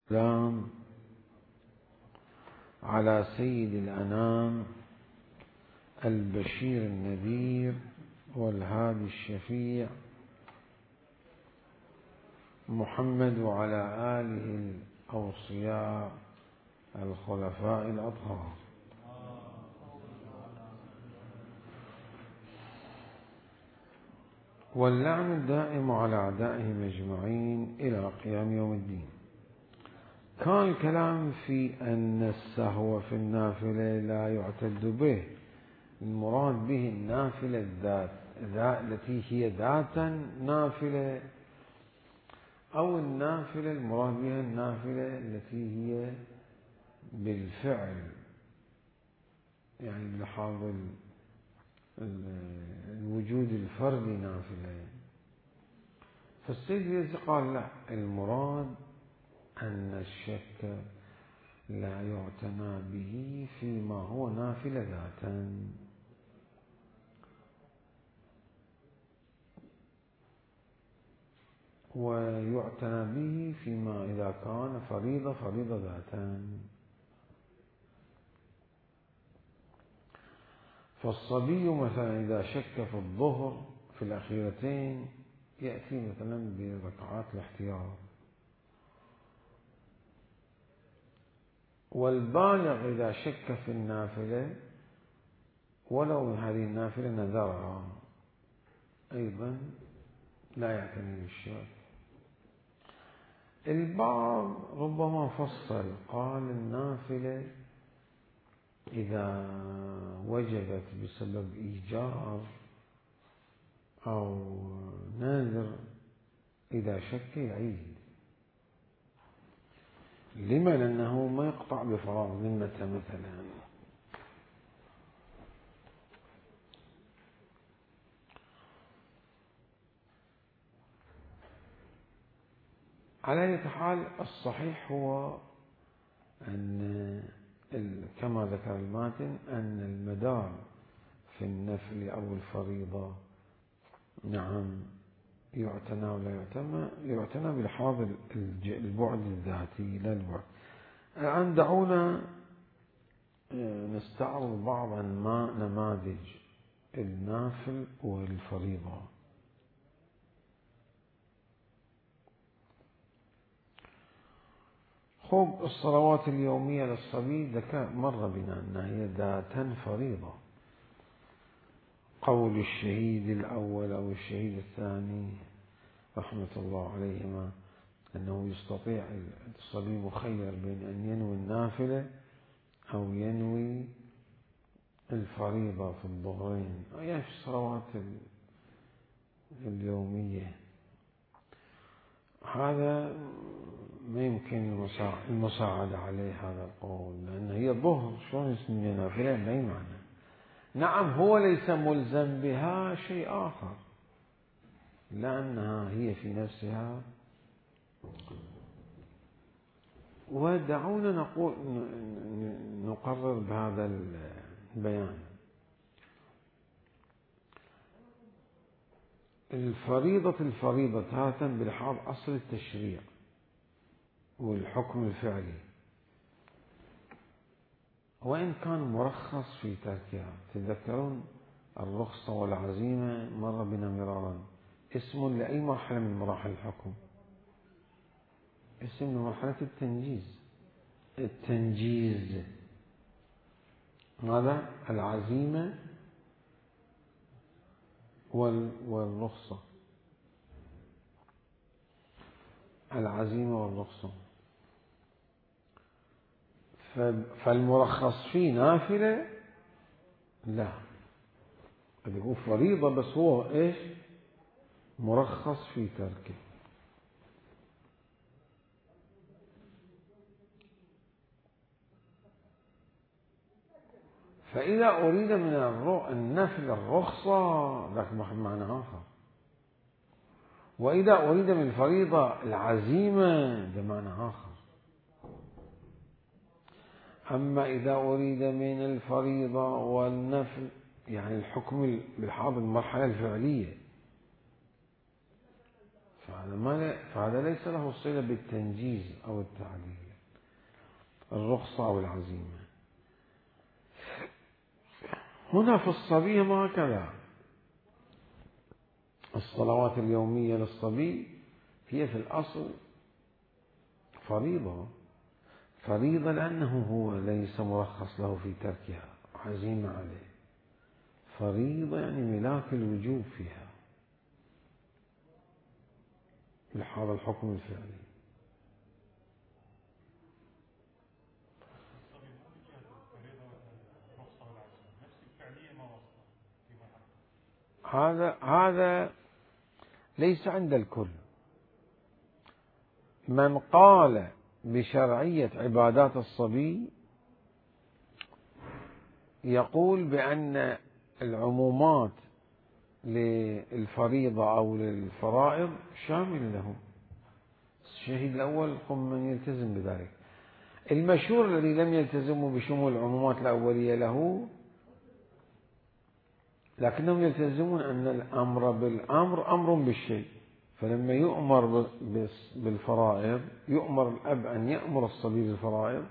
السلام على سيد الأنام البشير النذير والهادي الشفيع محمد وعلى آله الأوصياء الخلفاء الأطهار. واللعن الدائم على أعدائهم أجمعين إلى قيام يوم الدين. كان الكلام في أن السهو في النافلة لا يعتد به، المراد به النافلة التي هي ذاتا نافلة، أو النافلة المراد بها النافلة التي هي بالفعل، يعني بلحاظ الوجود الفردي نافلة. فالسيد اليزي قال لا، المراد أن الشك لا يعتنى به فيما هو نافلة ذاتا، ويعتنى به فيما إذا كان فريضة ذاتا. فالصبي مثلا إذا شك في الظهر في الأخيرتين يأتي مثلا بركعات الاحتياط، والبالغ إذا شك في النافلة ولو هذه النافلة نذرها أيضا لا يعتني بالشك. البعض ربما فصل، قال النافلة إذا وجبت بسبب إيجار أو نذر إذا شك يعيد. لما؟ لأنه ما يقطع بفراغ ذمته مثلا. على أي حال الصحيح هو أن كما ذكر الماتن أن المدار في النفل أو الفريضة نعم يعتنى ولا يعتنى بلحاظ البعد الذاتي لا البعد. الآن دعونا نستعرض بعض نماذج النافل والفريضة. خب الصلوات اليومية للصبي مر بنا أنها هي ذاتا فريضة. قول الشهيد الأول أو الشهيد الثاني رحمة الله عليهما أنه يستطيع الصبي مخير بين أن ينوي النافلة أو ينوي الفريضة في الظهرين، يعني في الصلوات اليومية. هذا ما يمكن المساعدة عليه هذا القول، لأن هي الظهر شلون يسمي نافلة؟ ما أي معنى. نعم هو ليس ملزم بها، شيء آخر، لأنها هي في نفسها. ودعونا نقرر بهذا البيان. الفريضة تارة بلحاظ أصل التشريع والحكم الفعلي، وإن كان مرخص في تركها. تذكرون الرخصة والعزيمة مر بنا مرارا، اسم لأي مرحلة من مراحل الحكم، اسم لمرحلة التنجيز. ماذا؟ العزيمة والرخصة، العزيمة والرخصة. فالمرخص فيه نافلة لا، قد يكون فريضة بس هو إيش؟ مرخص في تركه. فإذا أريد من النفل الرخصة ذاك معنى آخر، وإذا أريد من الفريضة العزيمة ده معنى آخر. أما إذا أريد من الفريضة والنفل يعني الحكم بلحاظ المرحلة الفعلية، فهذا ليس له صلة بالتنجيز أو التعليل، الرخصة أو العزيمة. هنا في الصبي ما هكذا. الصلوات اليومية للصبي هي في الأصل فريضة لأنه هو ليس مرخص له في تركها، عزيمة عليه. فريضة يعني ملاك الوجوب فيها بهذا الحكم الفعلي. هذا ليس عند الكل. من قال بشرعية عبادات الصبي يقول بأن العمومات للفريضة أو للفرائض شامل لهم. الشهيد الأول هم من يلتزم بذلك. المشهور الذي لم يلتزموا بشمول العمومات الأولية له، لكنهم يلتزمون أن الأمر بالأمر أمر بالشيء. فلما يؤمر بالفرائض، يؤمر الأب أن يأمر الصبي بالفرائض،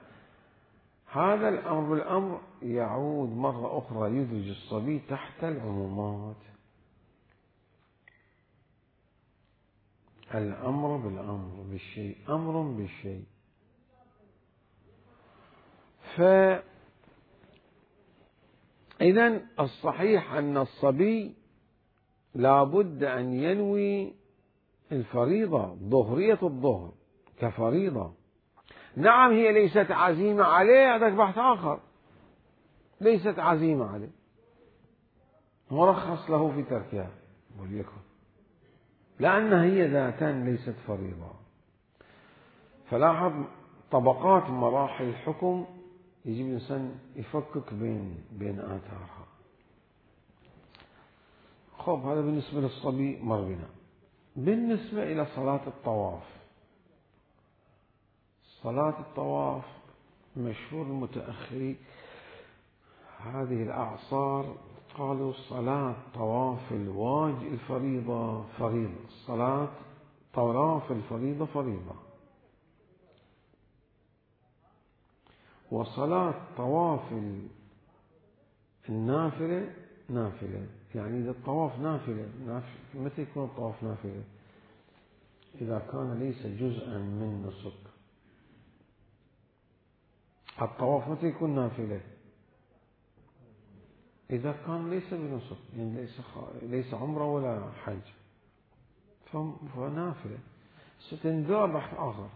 هذا الأمر بالأمر يعود مرة أخرى يدرج الصبي تحت العمومات. الأمر بالأمر بالشيء أمر بالشيء. فإذن الصحيح أن الصبي لا بد أن ينوي الفريضة، ظهرية الظهر كفريضة. نعم هي ليست عزيمة عليه، هذا بحث آخر. ليست عزيمة عليه، مرخص له في تركها وليكن، لأن هي ذاتا ليست فريضة. فلاحظ طبقات مراحل الحكم يجب الإنسان يفكك بين آثارها. خب هذا بالنسبة للصبي مر بنا. بالنسبة إلى صلاة الطواف، صلاة الطواف مشهور المتأخرين هذه الأعصار قالوا صلاة طواف الفريضة فريضة، صلاة طواف الفريضة فريضة، وصلاة طواف النافلة نافلة. يعني إذا الطواف نافلة، متى يكون الطواف نافلة؟ إذا كان ليس جزءا من نسك. الطواف متى يكون نافلة؟ إذا كان ليس بنسك، يعني ليس عمره ولا حج، فنافلة. ستنذار بحث آخر.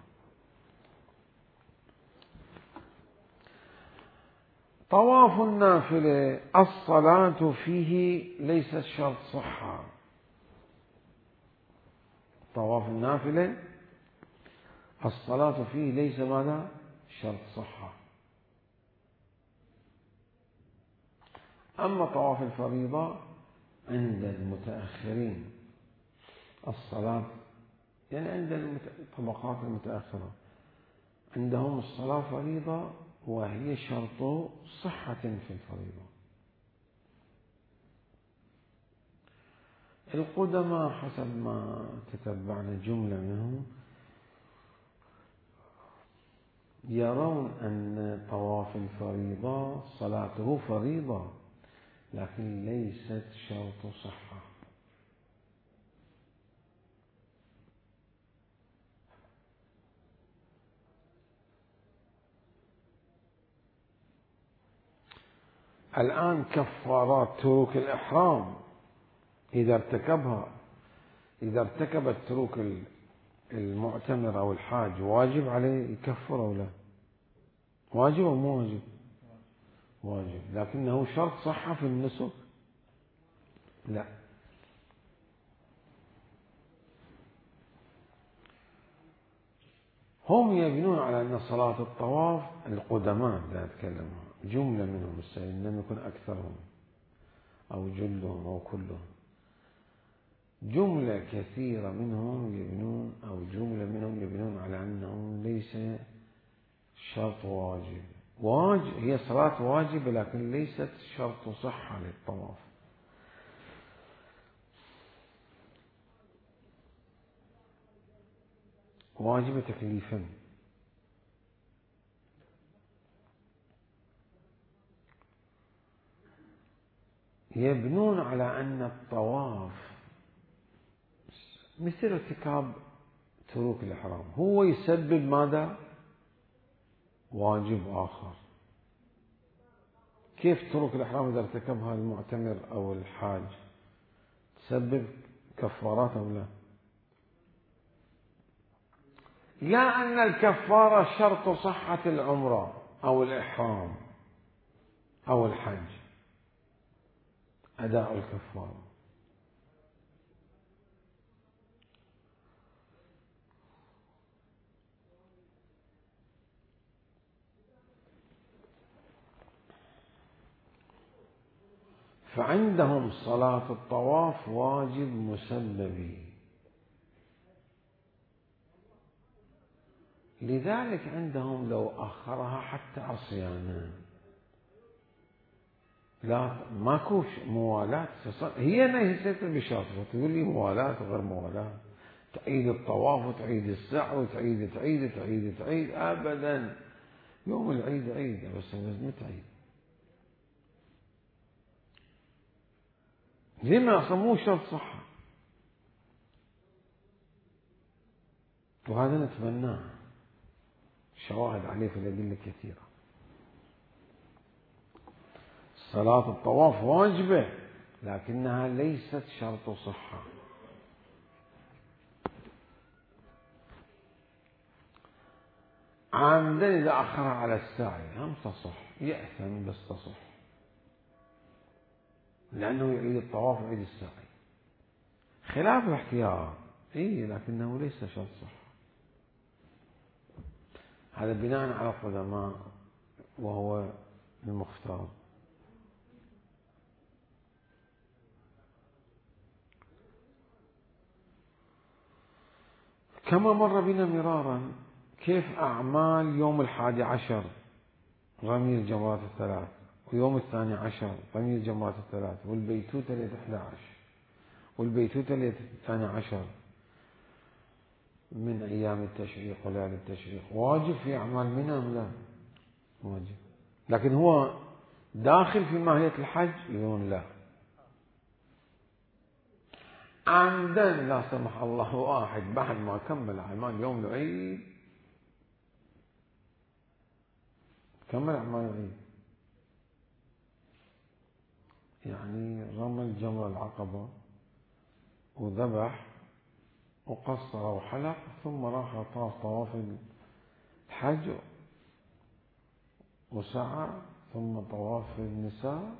طواف النافلة الصلاة فيه ليست شرط صحة. طواف النافلة الصلاة فيه ليس ماذا؟ شرط صحة. أما طواف الفريضة عند المتأخرين الصلاة، يعني عند الطبقات المتأخرة عندهم الصلاة فريضة وهي شرط صحة في الفريضة. القدماء حسب ما تتبعنا جملة منهم يرون أن طواف الفريضة صلاته فريضة لكن ليست شرط صحة. الآن كفارات تروك الإحرام إذا ارتكبت تروك المعتمر أو الحاج واجب عليه يكفر أو لا؟ واجب أو مو واجب؟ واجب، لكنه شرط صحة في النسك؟ لا. هم يبنون على أن صلاة الطواف القدماء لا أتكلم جملة منهم، لم يكن أكثرهم أو جلهم أو كلهم، جملة كثيرة منهم يبنون أو جملة منهم يبنون على أنه ليس شرط واجب. هي صلاة واجبة لكن ليست شرط صحة للطواف. واجبة تكليفا. يبنون على أن الطواف مثل ارتكاب تروك الإحرام، هو يسبب ماذا؟ واجب آخر. كيف تروك الإحرام إذا ارتكبها المعتمر أو الحاج تسبب كفارات أو لا؟ لا أن الكفارة شرط صحة العمرة أو الإحرام أو الحج أداء الكفارة. فعندهم صلاة الطواف واجب مسببي، لذلك عندهم لو أخرها حتى عصيانا لا ماكو موالاة. هي نهيت بشرط تقول لي موالاة وغير موالاة، تعيد الطواف وتعيد السعي وتعيد أبدا. يوم العيد عيد بس لازم تعيد. لما صموه شرط صحة؟ وهذا نتمناه، شواهد عليه في الأدلة كثيرة. صلاة الطواف واجبة لكنها ليست شرط صحة. عامدا إذا أخرها على الساعي هم تصح، يأثم بس تصح، لأنه يعيد الطواف ويعيد الساعي خلاف الاحتياط. لكنه ليس شرط صحة. هذا بناء على القدماء وهو المختار. كما مر بنا مرارا كيف أعمال يوم 11 رمي الجمرات الثلاث، ويوم 12 رمي الجمرات الثلاث، والبيتوتة ليلة 11 والبيتوتة ليلة 12 من أيام التشريق وليالي التشريق واجب في أعمال منى أم لا؟ واجب. لكن هو داخل في ماهية الحج؟ يقولون لا. عمدا لا سمح الله واحد بعد ما كمل أعمال يوم العيد كمل أعمال العيد، يعني رمى الجمرة العقبة وذبح وقصر وحلق ثم راح طاف طواف الحج وسعى ثم طواف النساء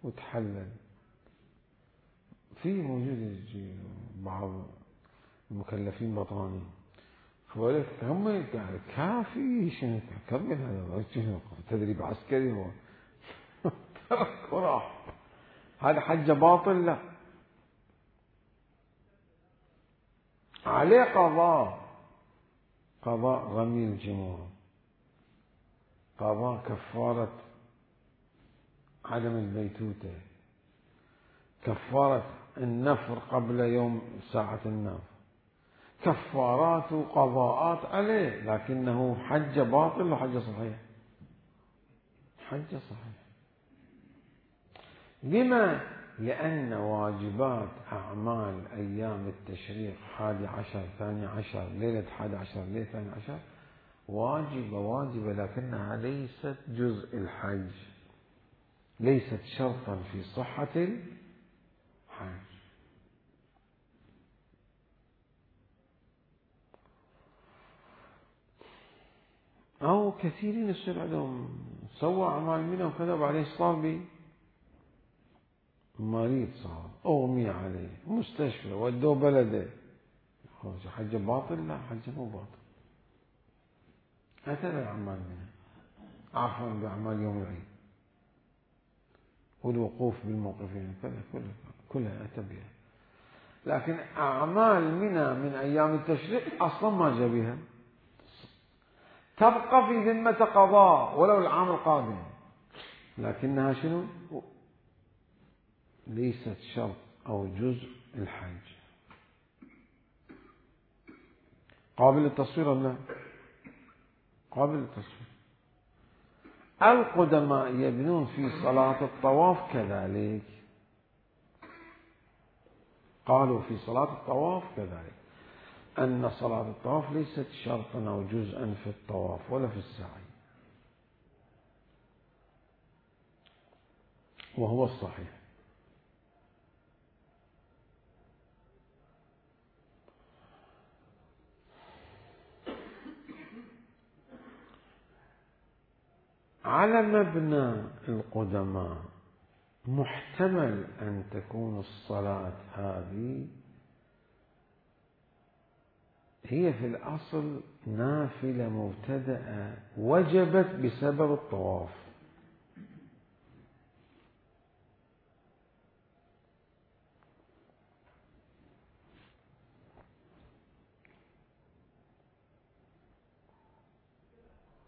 وتحلل. في موجود بعض المكلفين بطاني فقالت هم يعني كافي شنو كمل هذا تدريب عسكري هو ترك وراح. هذا حج باطل؟ لا، عليه قضاء رمي الجمار، قضاء كفارة عدم البيتوتة، كفارة النفر قبل يوم ساعة النفر، كفارات وقضاءات عليه، لكنه حج باطل وحج صحيح. حج صحيح. لما؟ لأن واجبات أعمال أيام التشريق 11 12 ليلة 11 ليلة 12 واجبة لكنها ليست جزء الحج، ليست شرطا في صحة الحج. أو كثيرين يصير عندهم سوى أعمال منه وكذا وبعدين صار بي مريض، صار أغمي عليه مستشفى ودوه بلده، حج باطل؟ لا، حج مو باطل. أتى بأعمال منه، عفوا بأعمال يوم العيد والوقوف بالموقفين كلها أتى بها. لكن أعمال منها من أيام التشريق أصلا ما جاء بها، تبقى في ذمة قضاء ولو العام القادم، لكنها شنو؟ ليست شرط أو جزء الحج. قابل للتصوير ولا لا؟ قابل للتصوير. القدماء يبنون في صلاة الطواف كذلك، قالوا في صلاة الطواف كذلك أن صلاة الطواف ليست شرطا أو جزءا في الطواف ولا في السعي، وهو الصحيح. على مبنى القدماء محتمل أن تكون الصلاة هذه هي في الأصل نافلة مبتدأة وجبت بسبب الطواف.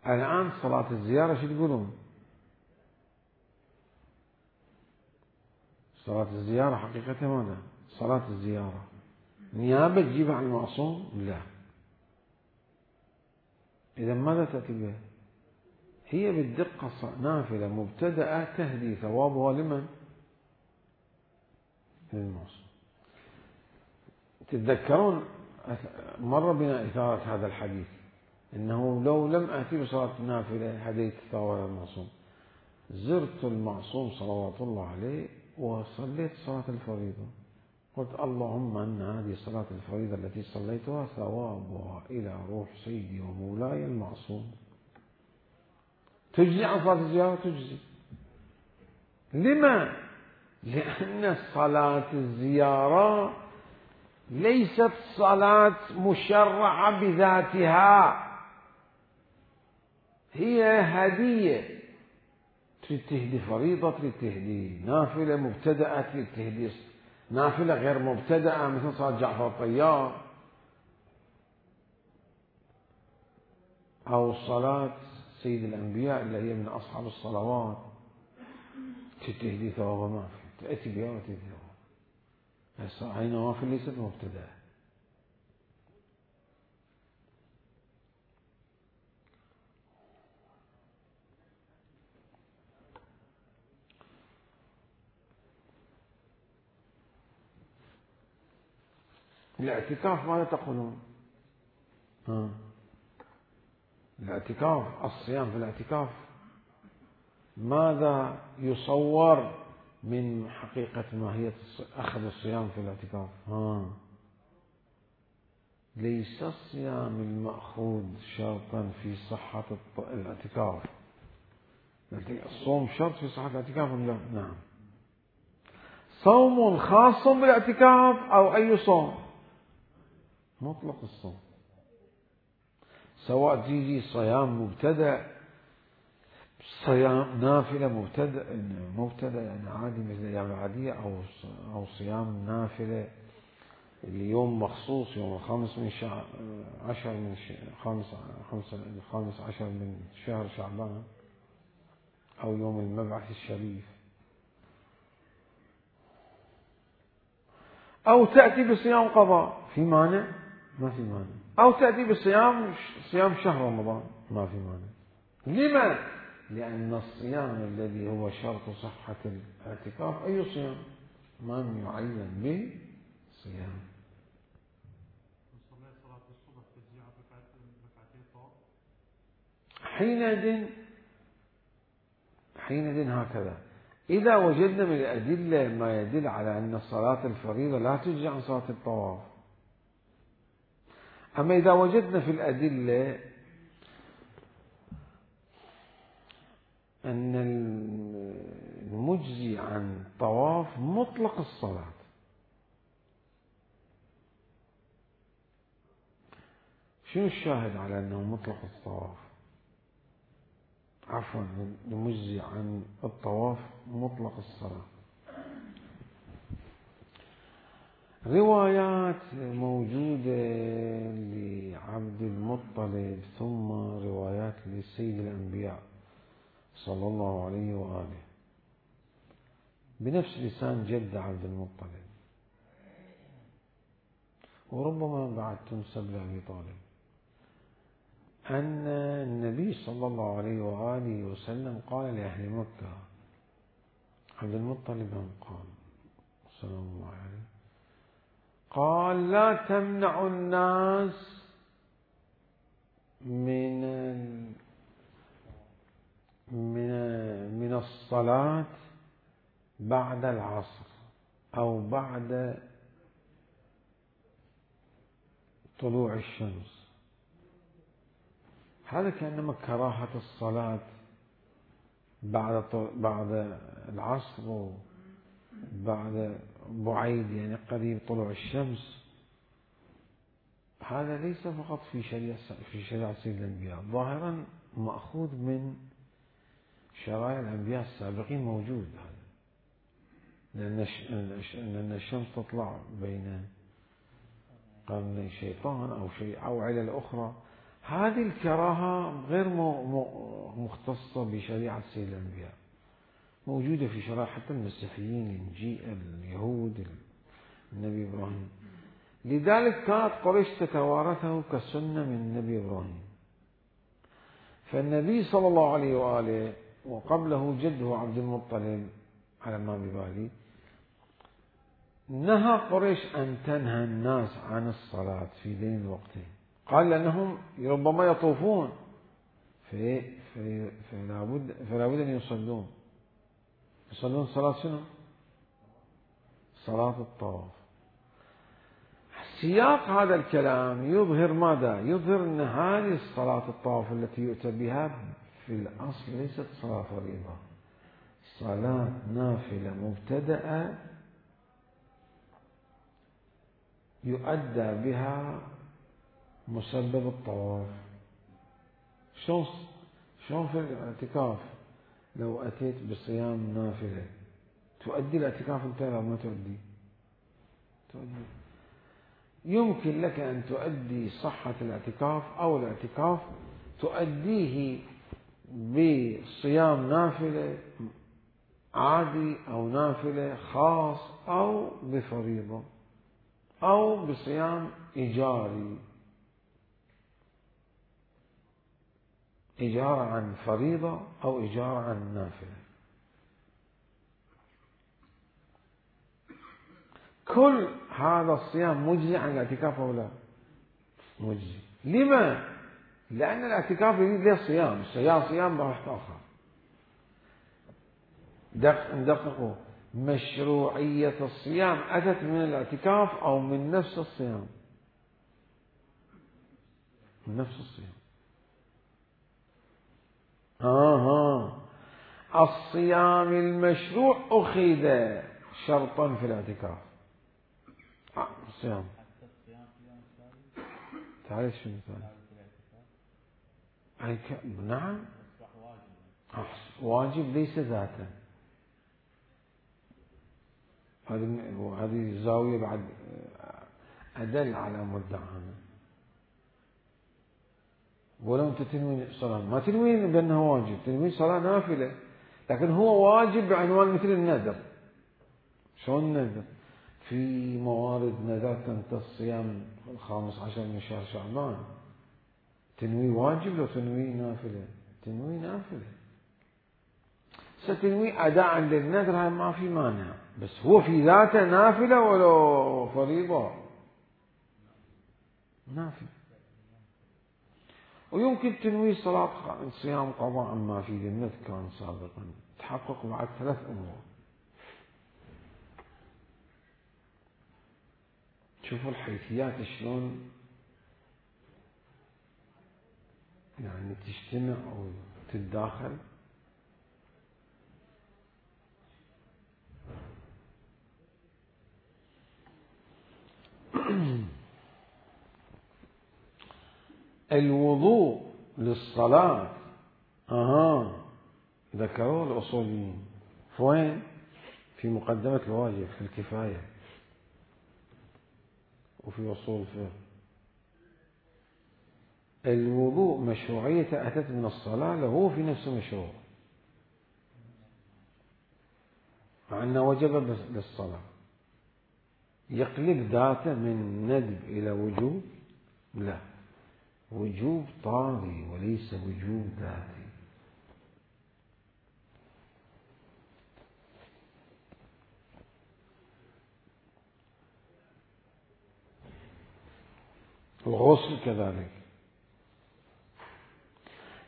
الآن صلاة الزيارة شو تقولون؟ صلاة الزيارة حقيقة ماذا؟ صلاة الزيارة نيابة تجيبها عن المعصوم؟ لا. إذا ماذا تأتي بها؟ هي بالدقة نافلة مبتدأة تهدي ثوابها لمن؟ للمعصوم. تتذكرون مر بنا إثارة هذا الحديث إنه لو لم آتي بصلاة نافلة هديت ثواب المعصوم. زرت المعصوم صلوات الله عليه وصليت صلاة الفريضة، قلت اللهم أن هذه الصلاة الفريضة التي صليتها ثوابها إلى روح سيدي ومولاي المعصوم. تجزي عن صلاة الزيارة؟ تجزي. لما؟ لأن صلاة الزيارة ليست صلاة مشرعة بذاتها، هي هدية. تريد تهدي فريضة، تريد تهدي نافلة مبتدأة، تريد تهدي نافلة غير مبتدأة مثل صلاة جعفر الطيار أو صلاة سيد الأنبياء اللي هي من أصحاب الصلوات، تريد تهدي ثواب ما في تأتي بها وتهدي ثواب. هاي نوافل ليست مبتدأة. الاعتكاف ماذا تقولون؟ الاعتكاف، الصيام في الاعتكاف ماذا يصور من حقيقة ماهية أخذ الصيام في الاعتكاف؟ ليس الصيام المأخوذ شرطا في صحة الاعتكاف. الصوم شرط في صحة الاعتكاف ولا لا؟ نعم. صوم خاص بالاعتكاف أو أي صوم؟ مطلق الصوم، سواء تيجي صيام مبتدأ، صيام نافلة مبتدأ يعني عادي مثل الأيام العادية، أو صيام نافلة اليوم مخصوص يوم الخامس من شهر عشر من الخامس عشر من شهر شعبان، أو يوم المبعث الشريف، أو تأتي بصيام قضاء، في مانع؟ ما في مانع. أو تأتي بصيام شهر رمضان، ما في مانع. لما؟ لأن الصيام الذي هو شرط صحة الاعتكاف أي صيام؟ من يعين به صيام. حينئذ هكذا إذا وجدنا من الأدلة ما يدل على أن صلاة الفريضة لا تجزي عن صلاة الطواف. أما إذا وجدنا في الأدلة أن المجزي عن طواف مطلق الصلاة، شنو الشاهد على أنه مطلق الطواف؟ عفوا، المجزي عن الطواف مطلق الصلاة. روايات موجودة لعبد المطلب، ثم روايات لسيد الأنبياء صلى الله عليه وآله بنفس لسان جد عبد المطلب، وربما بعد تنسب لأبي طالب. أن النبي صلى الله عليه وآله وسلم قال لأهل مكة، عبد المطلب قال صلى الله عليه، قال لا تمنعوا الناس من الصلاة بعد العصر أو بعد طلوع الشمس. هذا كأنما كراهة الصلاة بعد العصر وبعد بعيد، يعني قريب طلوع الشمس. هذا ليس فقط في شريعة سيد الأنبياء، ظاهرا مأخوذ من شرائع الأنبياء السابقين، موجود هذا، لأن الشمس تطلع بين قرني شيطان أو علل أخرى. هذه الكراهة غير مختصة بشريعة سيد الأنبياء، موجودة في شرائع حتى المسيحيين، الإنجيل، اليهود، النبي إبراهيم. لذلك كانت قريش تتوارثه كسنة من النبي إبراهيم. فالنبي صلى الله عليه وآله وقبله جده عبد المطلب على ما ببالي نهى قريش أن تنهى الناس عن الصلاة في ذين الوقتين. قال لأنهم ربما يطوفون فلا بد أن يصلون صلاة شنو؟ صلاة الطواف. سياق هذا الكلام يظهر ماذا؟ يظهر أن هذه الصلاة الطواف التي يؤتى بها في الأصل ليست صلاة فريضة، صلاة نافلة مبتدأة يؤدى بها مسبب الطواف. شلون في الاعتكاف لو أتيت بصيام نافلة تؤدي الاعتكاف انت ولا ما تؤدي؟ تؤدي. يمكن لك أن تؤدي صحة الاعتكاف أو الاعتكاف تؤديه بصيام نافلة عادي أو نافلة خاص أو بفريضة أو بصيام إيجاري، إيجار عن فريضة أو إيجار عن نافلة. كل هذا الصيام مجزي عن الاعتكاف أو لا؟ مجزي. لما؟ لأن الاعتكاف له صيام، صيام بحث آخر. ندققوا، مشروعية الصيام أتت من الاعتكاف أو من نفس الصيام؟ من نفس الصيام. الصيام المشروع أخذ شرطا في الاعتكاف. الصيام تعرف شو مثال؟ نعم، واجب ليس ذاتا. هذه زاوية بعد أدل على مدعانا. ولو أنت تنوي صلاة ما تنوي بأنها واجب، تنوي صلاة نافلة، لكن هو واجب بعنوان مثل النذر. شلون النذر؟ في موارد نذرت أنت الصيام 15 من شهر شعبان، تنوي واجب لو تنوي نافلة؟ تنوي نافلة. ستنوي أداء للنذر هاي ما في مانع، بس هو في ذاته نافلة ولا فريضة؟ نافلة. ويمكن تنوي صيام قضاء عما في ذمتك كان سابقا، تحقق بعد 3 أمور. شوفوا الحيثيات شلون يعني تجتمع أو تتداخل. الوضوء للصلاة ذكروا الأصوليين فوين؟ في مقدمة الواجب في الكفاية وفي أصول الفقه. الوضوء مشروعية أتت من الصلاة، له في نفسه مشروع، مع أنه وجب للصلاة. يقلب ذاته من ندب إلى وجوب؟ لا، وجوب طاري وليس وجوب ذاتي. الغسل كذلك،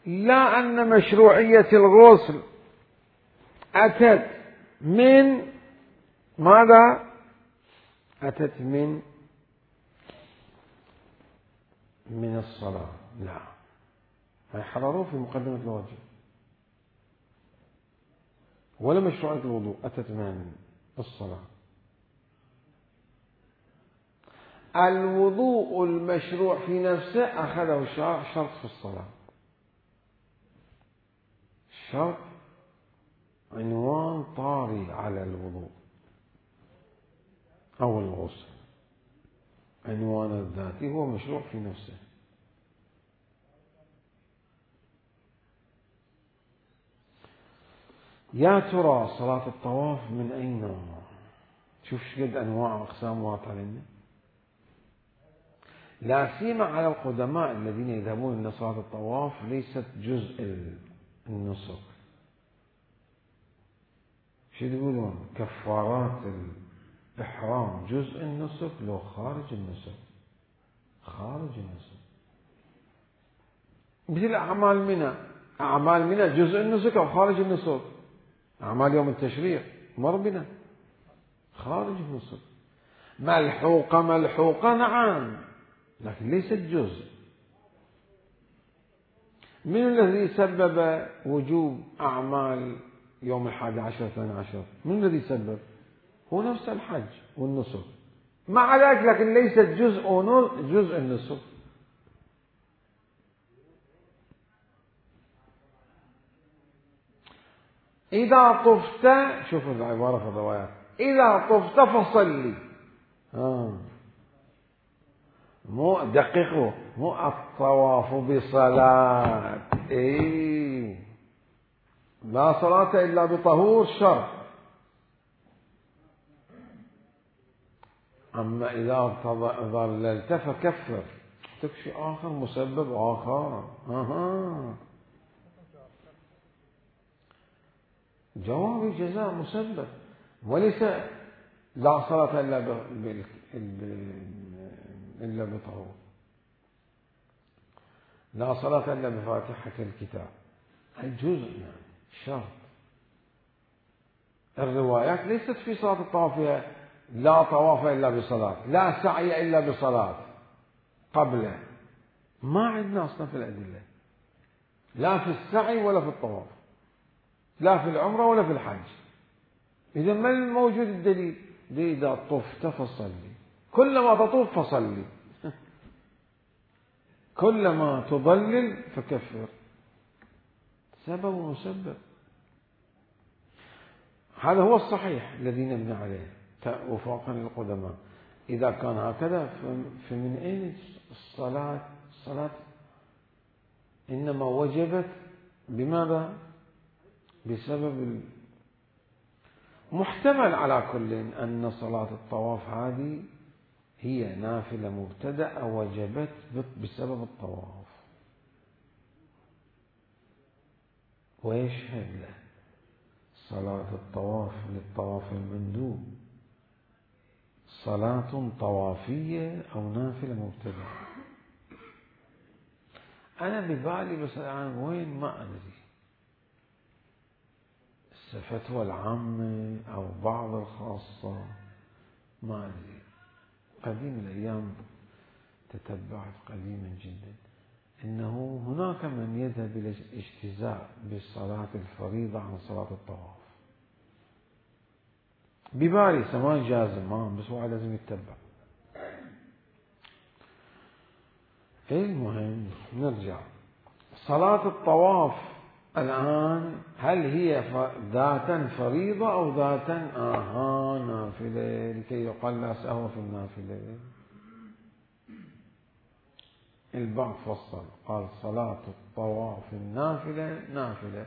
لا أن مشروعية الغسل أتت من ماذا؟ أتت من الصلاة، لا، حرروه في مقدمة الواجب. ولا مشروعية الوضوء أتت من الصلاة. الوضوء المشروع في نفسه أخذه الشرع شرط في الصلاة، شرط عنوان طاري على الوضوء أو الغسل، عنوان الذاتي هو مشروع في نفسه. يا ترى صلاة الطواف من أي نوع؟ شوف شقد أنواع وأقسام واضحة لنا، لا سيما على القدماء الذين يذهبون إلى صلاة الطواف ليست جزء النسك. شو يقولون؟ كفارات الإحرام جزء النسك لو خارج النسك، خارج النسك، مثل أعمال منى، أعمال منى جزء النسك أو خارج النسك. أعمال يوم التشريق مر بنا خارج النسك، ملحوقة نعم، لكن ليست جزء. من الذي سبب وجوب أعمال يوم 11 12؟ من الذي سبب؟ هو نفس الحج والنسك، مع ذلك لكن ليست جزء النسك. إذا طفت، شوفوا العبارة في الروايات، إذا طفت فصلي. مو دققوا، مو الطواف بصلاة، لا صلاة إلا بطهور شرط. أما إذا ظللت فكفر، تكفي آخر مسبب آخر. جواب جزاء مسبب، وليس لا صلاة إلا بطهور، لا صلاة إلا بفاتحة الكتاب، الجزء شرط. الروايات ليست في صلاة الطواف فيها لا طواف إلا بصلاة، لا سعي إلا بصلاة قبله، ما عندنا أصلا في الأدلة، لا في السعي ولا في الطواف، لا في العمرة ولا في الحج. إذا ما الموجود الدليل؟ إذا طفت فصلي، كلما تطوف فصلي، كلما تضلل فكفر، سبب ومسبب. هذا هو الصحيح الذي نبني عليه وفاقا للقدماء. إذا كان هكذا فمن أين الصلاة إنما وجبت بماذا؟ بسبب محتمل على كل أن صلاة الطواف هذه هي نافلة مبتدأة وجبت بسبب الطواف. ويشهد له صلاة الطواف للطواف المندوب صلاة طوافية أو نافلة مبتدأة. أنا ببالي بس الآن وين ما أدري، الفتوى العامة أو بعض الخاصة ما أدري. قديم الأيام تتبعت قديما جدا إنه هناك من يذهب إلى الاجتزاء بالصلاة الفريضة عن صلاة الطواف. ببالي سواء جازم بس هو لازم يتبع. المهم نرجع، صلاة الطواف الآن هل هي ذاتا فريضة أو ذاتا نافلة لكي يقال لا سهو في النافلة؟ البعض فصل قال صلاة الطواف النافلة نافلة،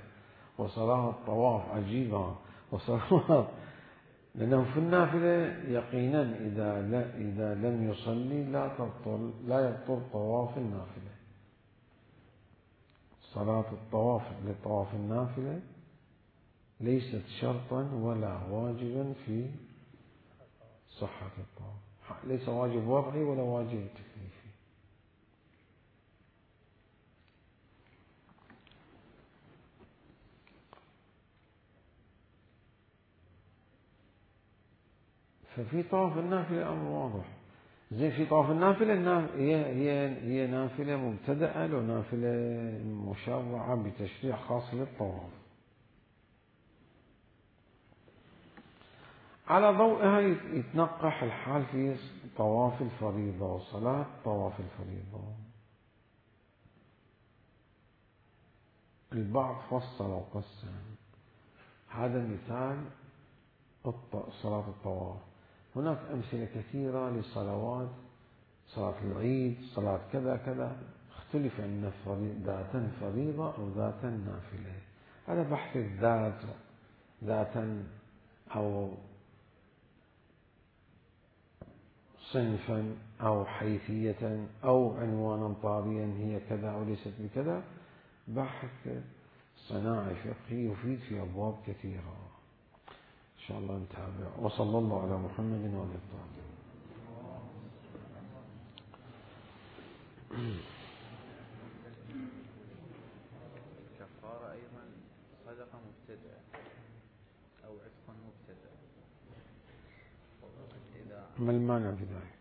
وصلاة الطواف عجيبة، وصلاة لأنه في النافلة يقينا إذا لم يصلي لا يبطل طواف النافلة. صلاة الطواف لطواف النافلة ليست شرطا ولا واجبا في صحة الطواف، ليس واجب وضعي ولا واجب تكليفي. ففي طواف النافلة الأمر واضح. زين في طواف النافلة هي نافلة مبتدأة لو نافلة مشرعة بتشريع خاص للطواف. على ضوئها يتنقح الحال في طواف الفريضة وصلاة طواف الفريضة. البعض فصل وقسم. هذا مثال صلاة الطواف. هناك أمثلة كثيرة لصلوات، صلاة العيد، صلاة كذا كذا، اختلف أن ذاتا فريضة أو ذاتا نافلة. هذا بحث الذات، ذاتا أو صنفا أو حيثية أو عنوانا طاريا هي كذا أو ليست بكذا، بحث صناعي فقهي يفيد في أبواب كثيرة. إن شاء الله نتابع. وصلى الله على محمد وعلى آله. الكفارة أيضا صدقة مبتدأة أو عتق مبتدأ. ما المانع بذلك؟